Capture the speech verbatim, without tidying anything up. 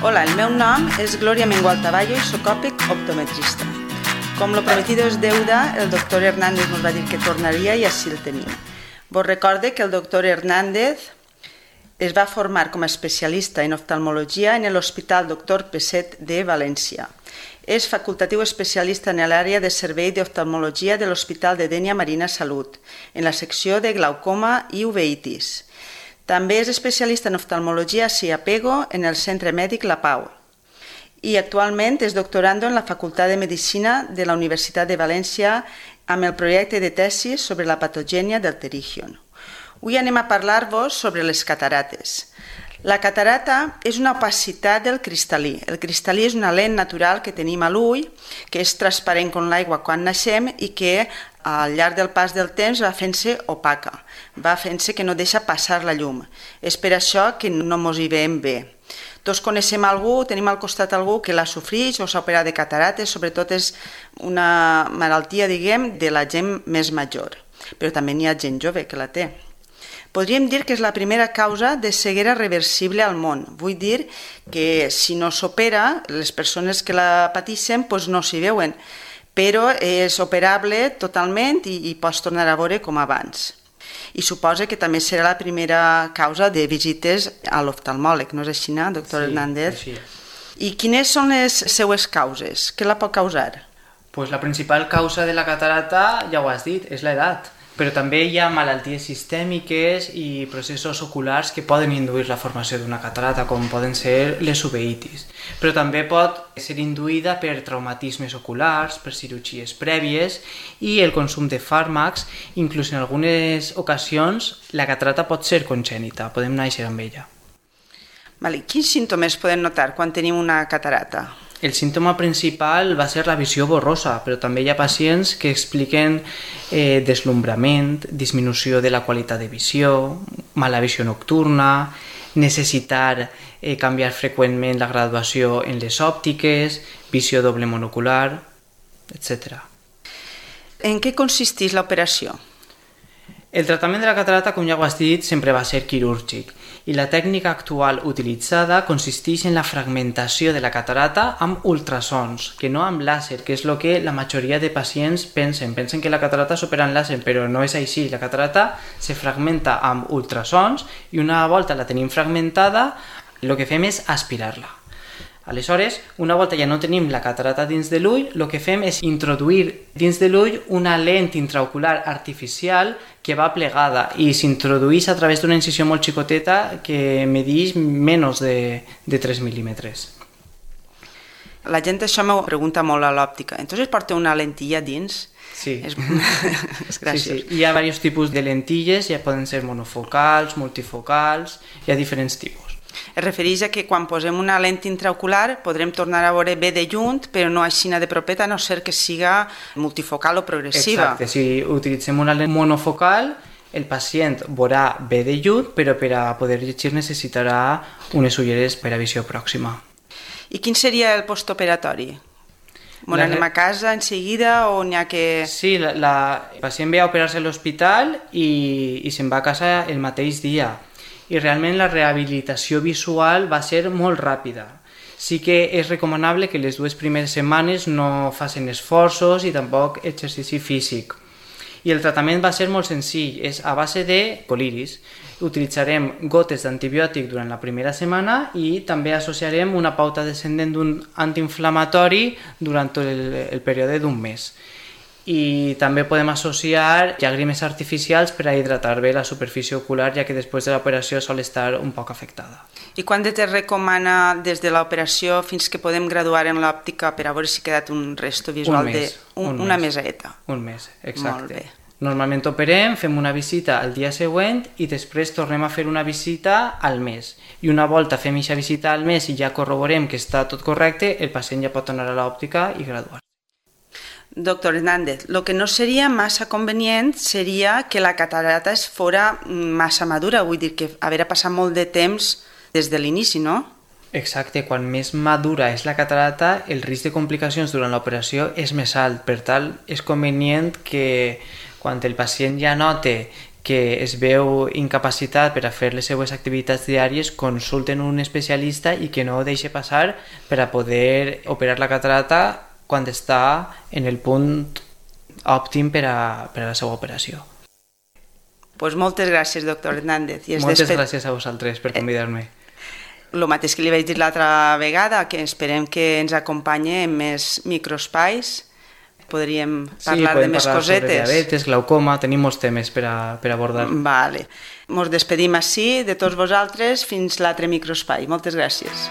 Hola, el meu nom és Glòria Mengual Taballo i soc òptic optometrista. Com lo prometido és deuda, el doctor Hernández ens va dir que tornaria i així el tenim. Vos recorde que el doctor Hernández es va formar com a especialista en oftalmologia en l'Hospital doctor Peset de València. És facultatiu especialista en l'àrea de servei d'oftalmologia de l'Hospital de Dénia Marina Salut, en la secció de glaucoma i uveitis. També és especialista en oftalmologia a Siapego en el Centre Mèdic La Pau i actualment és doctorando en la Facultat de Medicina de la Universitat de València amb el projecte de tesi sobre la patogènia del pterigion. Avui anem a parlar-vos sobre les catarates. La catarata és una opacitat del cristal·lí. El cristal·lí és una lent natural que tenim a l'ull, que és transparent com l'aigua quan naixem i que al llarg del pas del temps va fent-se opaca, va fent-se que no deixa passar la llum. És per això que no mos hi veiem bé. Tots coneixem algú, tenim al costat algú que la sofreix o s'ha operat de catarates, sobretot és una malaltia, diguem, de la gent més major, però també n'hi ha gent jove que la té. Podríem dir que és la primera causa de ceguera reversible al món. Vull dir que si no s'opera, les persones que la pateixen doncs no s'hi veuen, però és operable totalment i, i pots tornar a veure com abans. I suposa que també serà la primera causa de visites a l'oftalmòleg, no és així, no, doctor Sí, Hernández? així. I quines són les seues causes? Què la pot causar? Pues la principal causa de la catarata, ja ho has dit, és l'edat. Però també hi ha malalties sistèmiques i processos oculars que poden induir la formació d'una catarata, com poden ser les uveitis. Però també pot ser induïda per traumatismes oculars, per cirurgies prèvies i el consum de fàrmacs. Inclús en algunes ocasions la catarata pot ser congènita, podem néixer amb ella. Vale. Quins símptomes podem notar quan tenim una catarata? El símptoma principal va ser la visió borrosa, però també hi ha pacients que expliquen eh, deslumbrament, disminució de la qualitat de visió, mala visió nocturna, necessitar eh, canviar freqüentment la graduació en les òptiques, visió doble monocular, etcètera. En què consisteix l'operació? El tractament de la catarata, com ja ho has dit, sempre va ser quirúrgic i la tècnica actual utilitzada consisteix en la fragmentació de la catarata amb ultrasons, que no amb làser, que és el que la majoria de pacients pensen. Pensen que la catarata s'opera amb làser, però no és així. La catarata se fragmenta amb ultrasons i una volta la tenim fragmentada, el que fem és aspirar-la. Aleshores, una volta ja no tenim la catarata dins de l'ull, el que fem és introduir dins de l'ull una lent intraocular artificial que va plegada i s'introdueix a través d'una incisió molt xicoteta que medeix menys de, de tres mil·límetres. La gent això m'ho pregunta molt a l'òptica. Entonces porta una lentilla dins? Sí. És, és graciós. Sí, sí. Hi ha diversos tipus de lentilles, ja poden ser monofocals, multifocals, hi ha diferents tipus. Es refereix a que quan posem una lent intraocular podrem tornar a veure bé de lluny, però no així de propeta, a no ser que siga multifocal o progressiva. Exacte, si utilitzem una lent monofocal, el pacient veurà bé de lluny, però per a poder llegir necessitarà unes ulleres per a visió pròxima. I quin seria el postoperatori? Bon, anem a casa en seguida o n'hi ha que... Sí, la, la... el pacient ve a operar-se a l'hospital i, i se'n va a casa el mateix dia. I realment la rehabilitació visual va ser molt ràpida. Sí que és recomanable que les dues primeres setmanes no facin esforços i tampoc exercici físic. I el tractament va ser molt senzill, és a base de coliris. Utilitzarem gotes d'antibiòtic durant la primera setmana i també associarem una pauta descendent d'un antiinflamatori durant tot el, el període d'un mes. I també podem associar llàgrimes artificials per a hidratar bé la superfície ocular, ja que després de l'operació sol estar un poc afectada. I quant de temps recomana des de l'operació fins que podem graduar en l'òptica per a veure si ha quedat un resto visual? Un mes, de un, un una mes. meseta? Un mes, exacte. Molt bé. Normalment operem, fem una visita el dia següent i després tornem a fer una visita al mes. I una volta fem aquesta visita al mes i ja corroborem que està tot correcte, el pacient ja pot tornar a l'òptica i graduar. Doctor Hernández, el que no seria massa convenient seria que la catarata es fora massa madura, vull dir que haver passat molt de temps des de l'inici, no? Exacte, quan més madura és la catarata, el risc de complicacions durant l'operació és més alt. Per tant, és convenient que quan el pacient ja note que es veu incapacitat per a fer les seues activitats diàries, consulten un especialista i que no ho deixi passar per a poder operar la catarata quan està en el punt òptim per a, per a la seva operació. Pues moltes gràcies, doctor Hernández. I moltes desped... gràcies a vosaltres per convidar-me. El mateix que li vaig dir l'altra vegada, que esperem que ens acompanyi en més microespais. Podríem parlar sí, de més parlar cosetes. Sí, sobre diabetes, glaucoma, tenim molts temes per, a, per abordar. Vale. Ens despedim així de tots vosaltres fins l'altre microespai. Moltes gràcies.